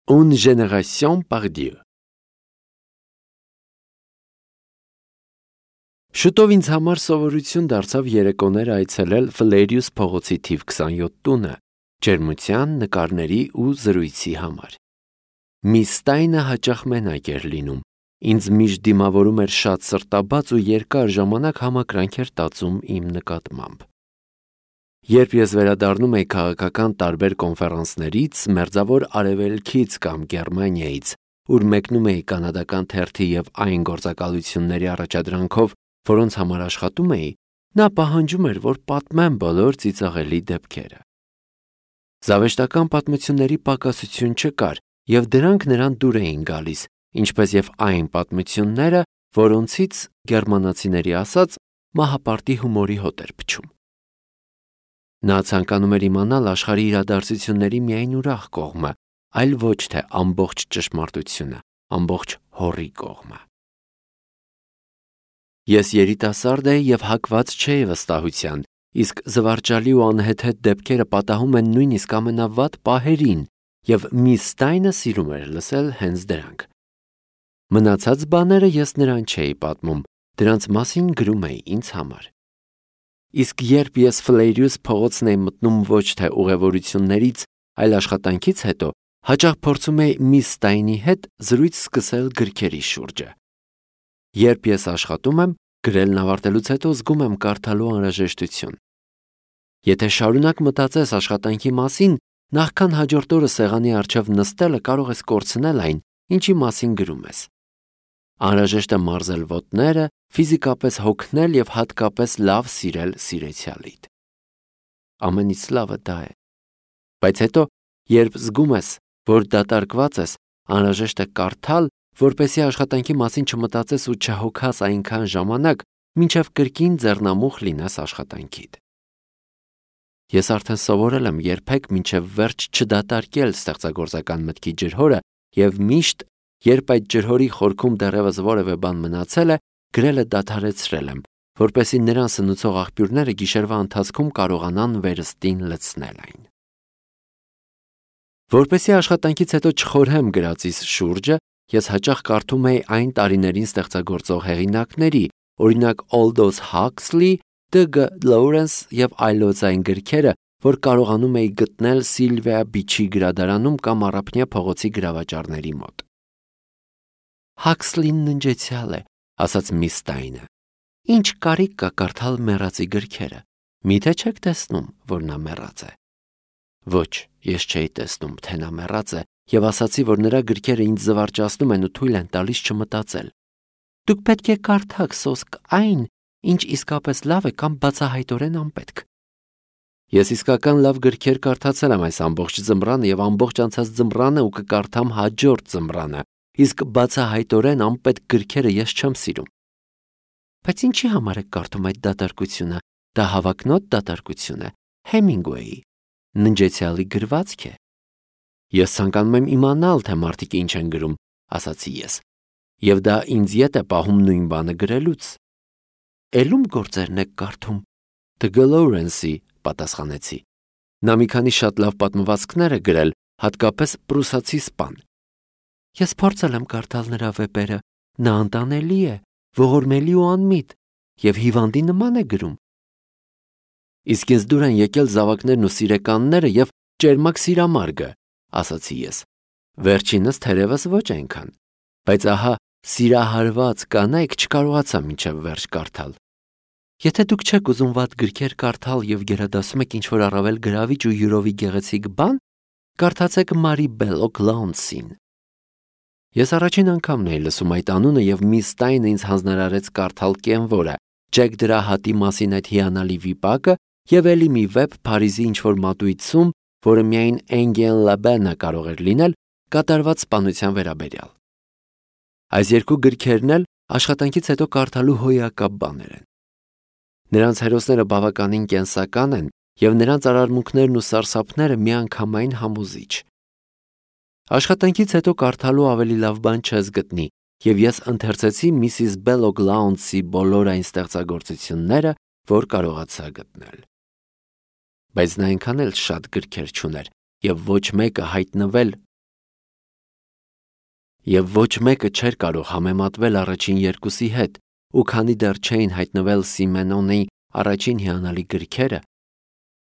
Une génération par Dieu. Շուտով ինձ համար սովորություն դարձավ երեկոներ այցելել Ֆլերիուս փողոցի թիվ 27 տունը, ջերմության, նկարների ու զրույցի համար։ Միս Ստայնը հաճախ մենակ էր լինում, ինձ միշտ դիմավորում էր շատ սրտաբաց ու երկար ժամանակ համակրանք էր տածում իմ նկատմամբ։ Երբ ես վերադառնում էի քաղաքական տարբեր կոնֆերանսներից, Մերձավոր Արևելքից կամ Գերմանիայից, ուր մեկնում էի կանադական թերթի եւ այն գործակալությունների առաջադրանքով, որոնց համար աշխատում էի, նա պահանջում էր, որ պատմեմ բոլոր ծիծաղելի դեպքերը։ Զավեշտական պատմությունների պակասություն չկար, եւ դրանք նրան դուր էին գալիս, ինչպես եւ այն պատմությունները, որոնցից գերմանացիների ասած մահապարտի հումորի հոտ էր փչում։ Նա ցանկանում էր իմանալ աշխարհի իրադարձությունների միայն ուրախ կողմը, այլ ոչ թե ամբողջ ճշմարտությունը, ամբողջ հորի կողմը։ Ես երիտասարդ էի եւ հակված չէի վստահության, իսկ զվարճալի ու անհեթեթ դեպքերը պատահում են նույնիսկ ամենավատ պահերին, եւ միս Ստայնը սիրում էր լսել հենց դրանք։ Մնացած բաները ես նրան չէի պատմում, դրանց մասին գրում էի ինձ համար։ Իսկ երբ ես Ֆլերիուս փողոցն էի մտնում ոչ թե ուղևորություններից, այլ աշխատանքից հետո, հաճախ փորձում էի միս Ստայնի հետ զրույց սկսել գրքերի շուրջը։ Երբ ես աշխատում եմ, գրելն ավարտելուց հետո զգում եմ կարդալու անհրաժեշտություն։ Եթե շարունակ մտածես աշխատանքի մասին, նախքան հաջորդ օրը սեղանի առջև նստելը կարող ես կորցնել այն, ինչի մասին գրում ես։ Անհրաժեշտ է մարզել ոտները, ֆիզիկապես հոգնել եւ հատկապես լավ սիրել սիրեցյալիդ։ Ամենից լավը դա է։ Բայց հետո, երբ զգում ես, որ դատարկված ես, անհրաժեշտ է կարդալ, որպեսզի աշխատանքի մասին չմտածես ու չհոգաս այնքան ժամանակ, մինչև կրկին ձեռնամուխ լինես աշխատանքիդ։ Ես արդեն սովորել եմ երբեք մինչև վերջ չդատարկել ստեղծագործական մտքի ջրհորը եւ միշտ, երբ այդ ջրհորի խորքում դեռևս որևէ բան մնացել է, գրելը դադարեցրել եմ, որպեսզի նրան սնուցող աղբյուրները գիշերվա ընթացքում կարողանան վերստին լցնել այն։ Որպեսզի աշխատանքից հետո չխորհեմ գրածիս շուրջը, ես հաճախ կարդում էի այն տարիներին ստեղծագործող հեղինակների, օրինակ Aldous Huxley, D.G. Lawrence եւ այլոց այն գրքերը, որ կարողանում էի գտնել Սիլվիա Բիչի գրադարանում կամ Առափնյա փողոցի գրավաճառների մոտ։ Huxley-ն ննջեցյալ է, ասաց միս Ստայնը։ Ինչ կարիք կա կարդալ մեռածի գրքերը։ Միթե չեք տեսնում, որ նա մեռած է։ Ոչ, ես չէի տեսնում, թե նա մեռած է, եւ ասացի, որ նրա գրքերը ինձ զվարճացնում են ու թույլ են տալիս չմտածել։ Դուք պետք է կարդաք սոսկ այն, ինչ իսկապես լավ է կամ բացահայտորեն անպետք։ Ես իսկական լավ գրքեր կարդացել եմ այս ամբողջ ձմռանը եւ ամբողջ անցած ձմռանը ու կկարդամ հաջորդ ձմռանը, իսկ բացահայտորեն անպետք գրքերը ես չեմ սիրում։ Բայց ինչի համար եք կարդում այդ դատարկությունը։ Դա հավակնոտ դատարկություն է, Հեմինգուեյի ննջեցյալի գրվածք է։ Ես ցանկանում եմ իմանալ, թե մարդիկ ինչ են գրում, ասացի ես, եւ դա ինձ ետ է պահում նույն բանը գրելուց։ Էլում գործերն եք կարդում։ D.G. Lawrence-ի, պատասխանեցի։ Նա մի քանի շատ լավ պատմվածքներ է գրել, հատկապես Պրուսացի սպան։ Ես փորձել եմ կարդալ նրա վեպերը, նա անտանելի է, ողորմելի ու անմիտ, եւ հիվանդի նման է գրում։ Իսկ ինձ դուր են եկել զավակներն ու սիրեկանները եւ ճերմակ սիրամարգը, ասացի ես։ Վերջինս թերևս ոչ այնքան, բայց ահա սիրահարված կանայք չկարողացա մինչև վերջ կարդալ։ Եթե դուք չեք ուզում վատ գրքեր կարդալ եւ գերադասում եք ինչ-որ առավել գրավիչ ու յուրովի գեղեցիկ բան, կարդացեք Մարի Բելոկ Լաունսին։ Ես առաջին անգամն էի լսում այդ անունը եւ միս Ստայնը ինձ հանձնարարեց կարդալ Կենվորը, Ջեք դրա հատի մասին այդ հիանալի վիպակը եւ ելի մի վեպ Փարիզի ինչ-որ մատույցում, որը միայն Էնգեն Լաբենը կարող էր լինել, կատարված սպանության վերաբերյալ։ Այս երկու գրքերն էլ աշխատանքից հետո կարդալու հոյակապ բաներ են։ Նրանց հերոսները բավականին կենսական են եւ նրանց արարմունքներն ու սարսափները միանգամայն համոզիչ։ Աշխատանքից հետո կարդալու ավելի լավ բան չես գտնի, եւ ես ընթերցեցի Միսիս Բելոկ Լաունսի բոլոր այն ստեղծագործությունները, որ կարողացա գտնել։ Բայց նա այնքան էլ շատ գրքեր չուներ, եւ ոչ մեկը հայտնվել Եվ ոչ մեկը չէր կարող համեմատվել առաջին երկուսի հետ, ու քանի դեռ չէին հայտնվել Սիմենոնի առաջին հիանալի գրքերը,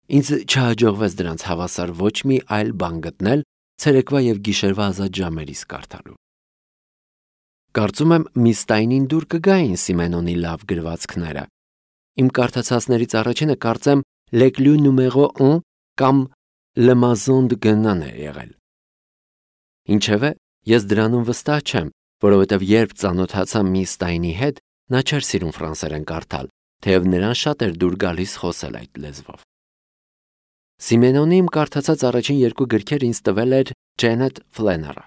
ինձ չհաջողվեց դրանց հավասար ոչ մի այլ բան գտնել ցերեկվա եւ գիշերվա ազատ ժամերիս կարդալու։ Կարծում եմ Միս Ստայնին դուր կգային Սիմենոնի լավ գրվածքները։ Իմ կարդացածներից առաջինը կարծեմ Leclue numéro 1 կամ Le Maison de Guénon է եղել։ Ինչևէ, ես դրանում վստահ չեմ, որովհետև երբ ծանոթացա Միս Ստայնի հետ, նա չէր սիրում ֆրանսերեն կարդալ, թեև նրան շատ էր դուր գալիս խոսել այդ լեզվով։ Սիմենոնի իմ կարդացած առաջին երկու գրքեր ինձ տվել էր Ջենետ Ֆլեները։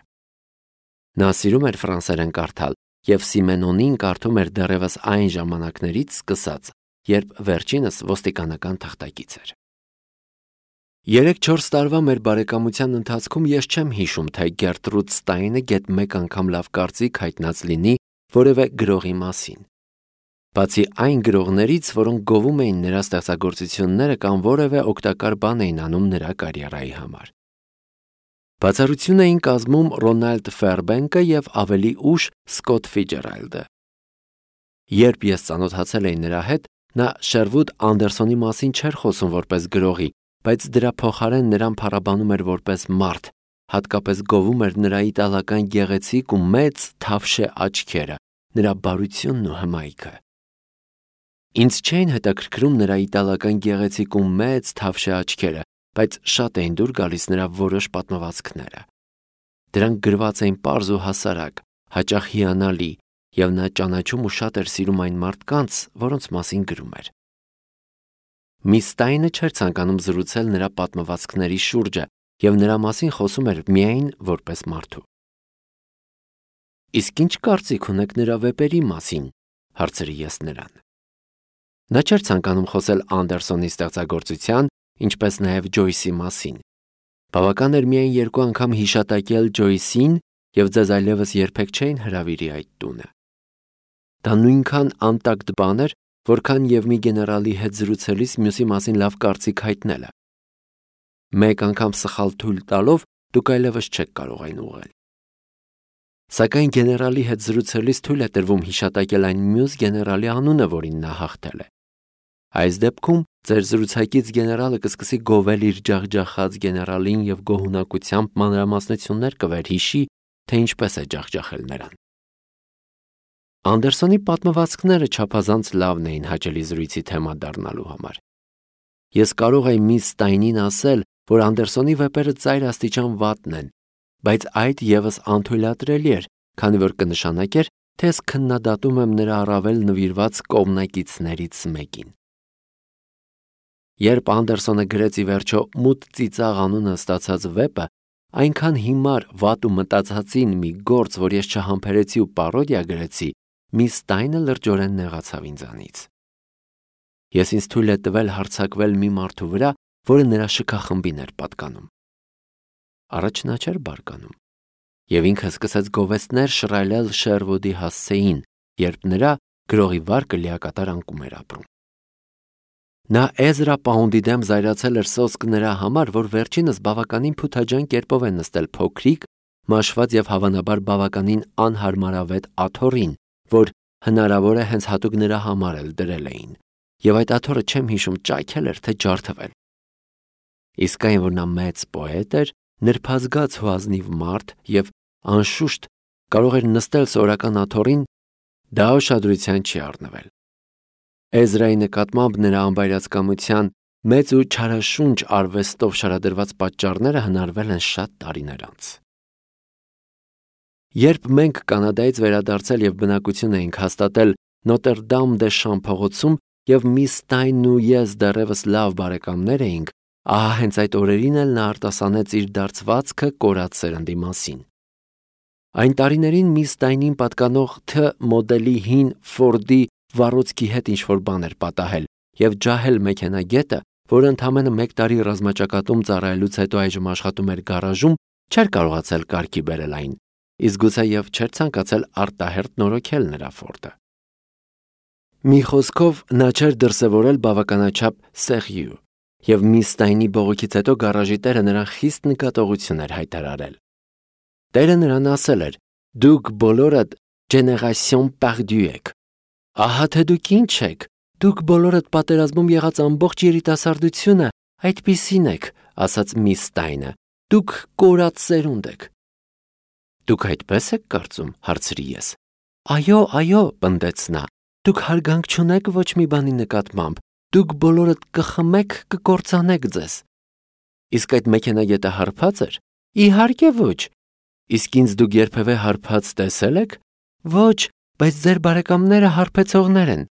Նա սիրում էր ֆրանսերեն կարդալ, եւ Սիմենոնին կարդում էր դեռևս այն ժամանակներից սկսած, երբ վերջինս ոստիկանական թղթակից էր։ 3-4 տարվա մեր բարեկամության ընթացքում ես չեմ հիշում, թե Գերտրուդ Ստայնը գեթ մեկ անգամ լավ կարծիք հայտնած լինի որևէ գրողի մասին։ Բացի այն գրողներից, որոնք գովում էին նրա ստեղծագործությունները կամ որևէ օգտակար բան էին անում նրա կարիերայի համար։ Բացառություն էին կազմում Ռոնալդ Ֆերբենկը եւ ավելի ուշ Սկոթ Ֆիջերալդը։ Երբ ես ծանոթացել էի նրա հետ, նա Շերվուդ Անդերսոնի մասին չէր խոսում որպես գրողի, բայց դրա փոխարեն նրան փառաբանում էր որպես մարդ, հատկապես գովում էր նրա իտալական գեղեցիկ ու մեծ թավշե աչքերը, նրա բարությունն ու հմայքը։ Ինձ չէին հետաքրքրում նրա իտալական գեղեցիկ ու մեծ թավշե աչքերը, բայց շատ էին դուր գալիս նրա որոշ պատմվածքները։ Դրանք գրված էին պարզ ու հասարակ, հաճախ հիանալի, եւ նա ճանաչում ու շատ էր սիրում այն մարդկանց, որոնց մասին գրում էր։ Միս Ստայնը չէր ցանկանում զրուցել նրա պատմվածքների շուրջը եւ նրա մասին խոսում էր միայն որպես մարդու։ Իսկ ինչ կարծիք ունեք նրա վեպերի մասին, հարցրի ես նրան։ Նա չէր ցանկանում խոսել Անդերսոնի ստեղծագործության, ինչպես նաև Ջոյսի մասին։ Բավական էր միայն 2 անգամ հիշատակել Ջոյսին, եւ ձեզ այլևս երբեք չէին հրավիրի այդ տունը։ Դա նույնքան անտակտ բան էր, որքան եւ մի գեներալի հետ զրուցելիս մյուսի մասին լավ կարծիք հայտնելը։ Մեկ անգամ սխալ թույլ տալով դուք այլևս չեք կարող այն ուղղել։ Սակայն գեներալի հետ զրուցելիս թույլ է տրվում հիշատակել այն մյուս գեներալի անունը, որին նա հաղթել է։ Այս դեպքում ձեր զրուցակից գեներալը կսկսի գովել իր ջախջախած գեներալին եւ գոհունակությամբ մանրամասնություններ կվերհիշի, թե ինչպես է ջախջախել նրան։ Անդերսոնի պատմվածքները չափազանց լավն էին հաճելի զրույցի թեմա դառնալու համար։ Ես կարող եմ Միս Ստայնին ասել, որ Անդերսոնի վեպերը ծայր աստիճան վատն են, բայց այդ եւս անթույլատրելի էր, քանի որ կնշանակեր, թե ես քննադատում եմ նրա առավել նվիրված կողմնակիցներից մեկին։ Երբ Անդերսոնը գրեց ի վերջո Մութ ծիծաղ անունը ստացած վեպը, այնքան հիմար, վատ ու մտածածին մի գործ, որ ես չհամբերեցի ու պարոդիա գրեցի, Միս Ստայնը լրջորեն նեղացավ ինձանից։ Ես ինձ թույլ է տվել հարձակվել մի մարդու վրա, որը նրա շքախմբին էր պատկանում։ Առաջ նա չէր բարկանում, եւ ինքը սկսեց գովեստներ շռայլել Շերվուդի հասցեին, երբ նրա գրողի վարկը լիակատար անկում էր ապրում։ Նա Էզրա Պաունդի դեմ զայրացել էր սոսկ նրա համար, որ վերջինս բավականին փութաջան կերպով է նստել փոքրիկ, մաշված եւ հավանաբար բավականին անհարմարավետ աթոռին, որ հնարավոր է հենց հատուկ նրա համար էլ դրել էին, եւ այդ աթոռը չեմ հիշում ճայթել էր թե ջարդվել։ Իսկ այն, որ նա մեծ պոետ էր, նրբազգաց ու ազնիվ մարդ եւ անշուշտ կարող էր նստել սորական աթոռին, դա ուշադրության չի առնվել։ Էզրայի նկատմամբ նրա անբայրացկամության մեծ ու չարաշունչ արվեստով շարադրված պատճառները հնարվել են շատ տարիներ անց։ Երբ մենք Կանադայից վերադարձել եւ բնակություն էինք հաստատել Նոտր-Դամ դե Շամ փողոցում եւ Միս Ստայնն ու ես դեռևս լավ բարեկամներ էինք, ահա հենց այդ օրերին էլ նա արտասանեց իր դարձվածքը կորած սերնդի մասին։ Այն տարիներին Միս Ստայնին պատկանող Თ մոդելի հին Ֆորդի վառոցքի հետ ինչ-որ բան էր պատահել, եւ ջահել մեքենագետը, որը ընդամենը 1 տարի ռազմաճակատում ծառայելուց հետո այժմ աշխատում էր գարաժում, չէր կարողացել կարգի բերել այն, իսկ գուցե եւ չէր ցանկացել արտահերտ նորոգել նրա Ֆորդը։ Մի խոսքով նա չէր դրսևորել բավականաչափ սեղյու, եւ Միս Ստայնի բողոքից հետո գարաժի տերը նրան խիստ նկատողություն էր հայտարարել։ Տերը նրան ասել էր. Դուք բոլորդ génération perdue եք։ Ահա թե դուք ինչ եք։ Դուք բոլորդ պատերազմում եղած ամբողջ երիտասարդությունը այդպիսին եք, ասաց միս Ստայնը։ Դուք կորած սերունդ եք։ Դուք այդպես եք կարծում, հարցրի ես։ Այո, պնդեց նա։ Դուք հարգանք չունեք ոչ մի բանի նկատմամբ։ Դուք բոլորդ կխմեք, կկործանեք ձեզ։ Իսկ այդ մեքենագետը հարբած էր։ Իհարկե ոչ։ Իսկ ինձ դուք երբևէ հարբած տեսել եք։ Ոչ, բայց ձեր բարեկամները հարբեցողներ են։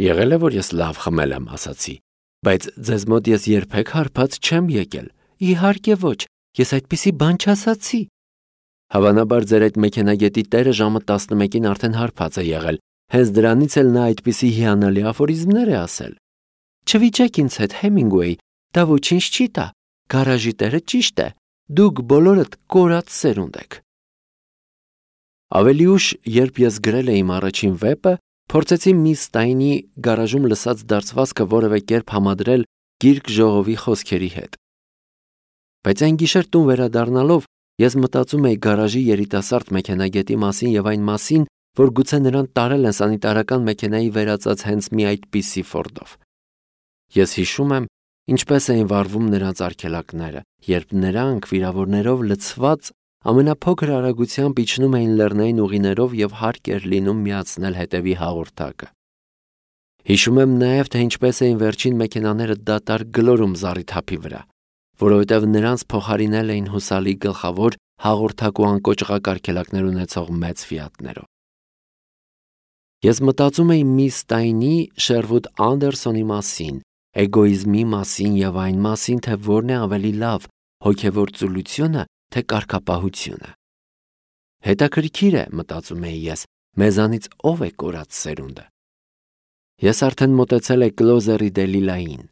Եղել է, որ ես լավ խմել եմ, ասացի, բայց ձեզ մոտ ես երբեք հարբած չեմ եկել։ Իհարկե ոչ, ես այդպիսի բան չասացի։ Հավանաբար ձեր այդ մեքենագետի տերը ժամը 11-ին արդեն հարբած է եղել։ Հենց դրանից էլ նա այդպիսի հիանալի աֆորիզմներ է ասել։ Չվիճեք ինձ հետ, Հեմինգուեյ, դա ոչինչ չի տա։ Գարաժի տերը ճիշտ է։ Դուք բոլորդ կորած սերունդ եք։ Ավելի ուշ, երբ ես գրել էի իմ առաջին վեպը, փորձեցի միս Ստայնի գարաժում լսած դարձվածքը որևէ կերպ համադրել Գիրք ժողովի խոսքերի հետ։ Բայց այն գիշեր տուն վերադառնալով ես մտածում էի գարաժի երիտասարդ մեքենագետի մասին եւ այն մասին, որ գուցե նրան տարել են սանիտարական մեքենայի վերածած հենց մի այդպիսի Ֆորդով։ Ես հիշում եմ, ինչպես էին վարվում նրանց արգելակները, երբ նրանք վիրավորներով լցված ամենափոքր արագությամբ իջնում էին լեռնային ուղիներով եւ հարկ էր լինում միացնել հետևի հաղորդակը։ Հիշում եմ նաեւ, թե ինչպես էին վերջին մեքենաները դատարկ գլորում զառիթափի վրա, որովհետեւ նրանց փոխարինել էին հուսալի գլխավոր հաղորդակ ու անկոճղակ արգելակներ ունեցող մեծ Ֆիատներով։ Ես մտածում էի միս Ստայնի, Շերվուդ Անդերսոնի մասին, էգոիզմի մասին եւ այն մասին, թե որն է ավելի լավ, հոգեվոր ծուլությունը, թե կարգապահությունը։ Հետաքրքիր է, մտածում էի ես, մեզանից ով է կորած սերունդը։ Ես արդեն մոտեցել էի Կլոզերի Դելիլային։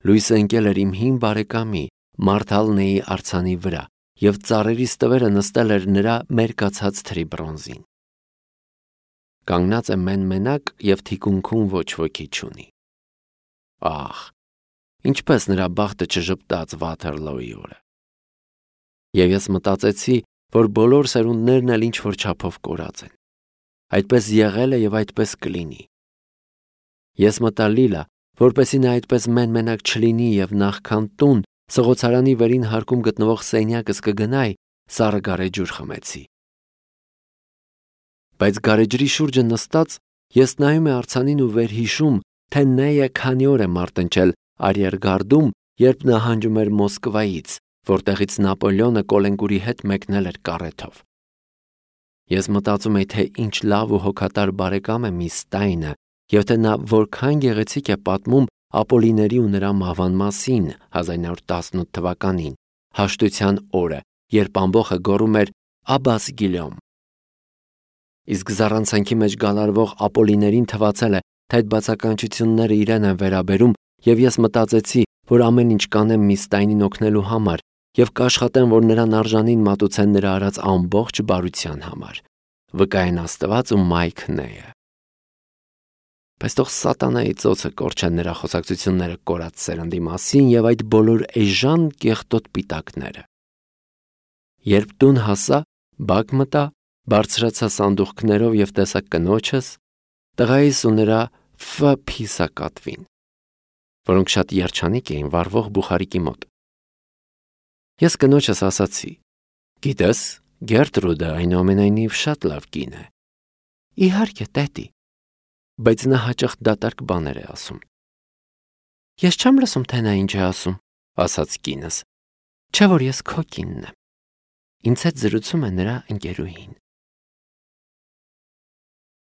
Լույսը ընկել էր իմ հին բարեկամի Մարթալնեի արձանի վրա եւ ծառերի ստվերը նստել էր նրա մերկացած թրի բրոնզին։ Կանգնած է մեն-մենակ եւ թիկունքում ոչ ոքի չունի։ Ահ, ինչպես նրա բախտը չժպտաց Վաթերլոյի օրը։ Եվ ես մտածեցի, որ բոլոր սերունդներն էլ ինչ-որ չափով կորած են։ Այդպես եղել է եւ այդպես կլինի։ Ես մտա Լիլա, որպեսզի նա այդպես մեն-մենակ չլինի եւ նախքան տուն սղոցարանի վերին հարկում գտնվող սենյակս կգնայի, սառը գարեջուր խմեցի։ Բայց գարեջրի շուրջը նստած ես նայում եմ արձանին ու վերհիշում, թե Նեյը քանի օր է մարտնչել Արիերգարդում, երբ նահանջում էր Մոսկվայից, որտեղից Նապոլեոնը Կոլենկուրի հետ մեկնել էր կարեթով։ Ես մտածում էի, թե ինչ լավ ու հոգատար բարեկամ է միս Ստայնը, եւ թե նա որքան գեղեցիկ է պատմում Ապոլիների ու նրա մահվան մասին 1918 թվականին, հաշտության օրը, երբ ամբոխը գոռում էր Աբաս Գիլյոմ։ Իսկ զառանցանքի մեջ գալարվող Ապոլիներին թվացել է, թե այդ բացականչությունները իրեն են վերաբերում, եւ ես մտածեցի, որ ամեն ինչ կանեմ միս Ստայնին օգնելու համար եւ կաշխատեմ, որ նրան արժանին մատուցեն նրա արած ամբողջ բարության համար։ Վկային Աստված ու Մայք Նեյը։ Բայց թող սատանայի ծոցը կորչեն նրա խոսակցությունները կորած սերնդի մասին եւ այդ բոլոր էժան կեղտոտ պիտակները։ Երբ տուն հասա, բակ մտա, բարձրացա սանդուղքներով եւ տեսա կնոջս, տղայիս ու նրա փիսակատվին, որոնք շատ երջանիկ էին վառվող բուխարիկի մոտ։ Ես կնոջս ասացի. «Գիտես, Գերտրուդը այնուամենայնիվ շատ լավ կին է»։ Իհարկե, տետի, բայց նա հաճախ դատարկ բաներ է ասում։ Ես չեմ լսում, թե նա ինչ է ասում, ասաց կինս, չէ որ ես քո կինն եմ։ Ինձ հետ զրուցում է նրա ընկերուհին։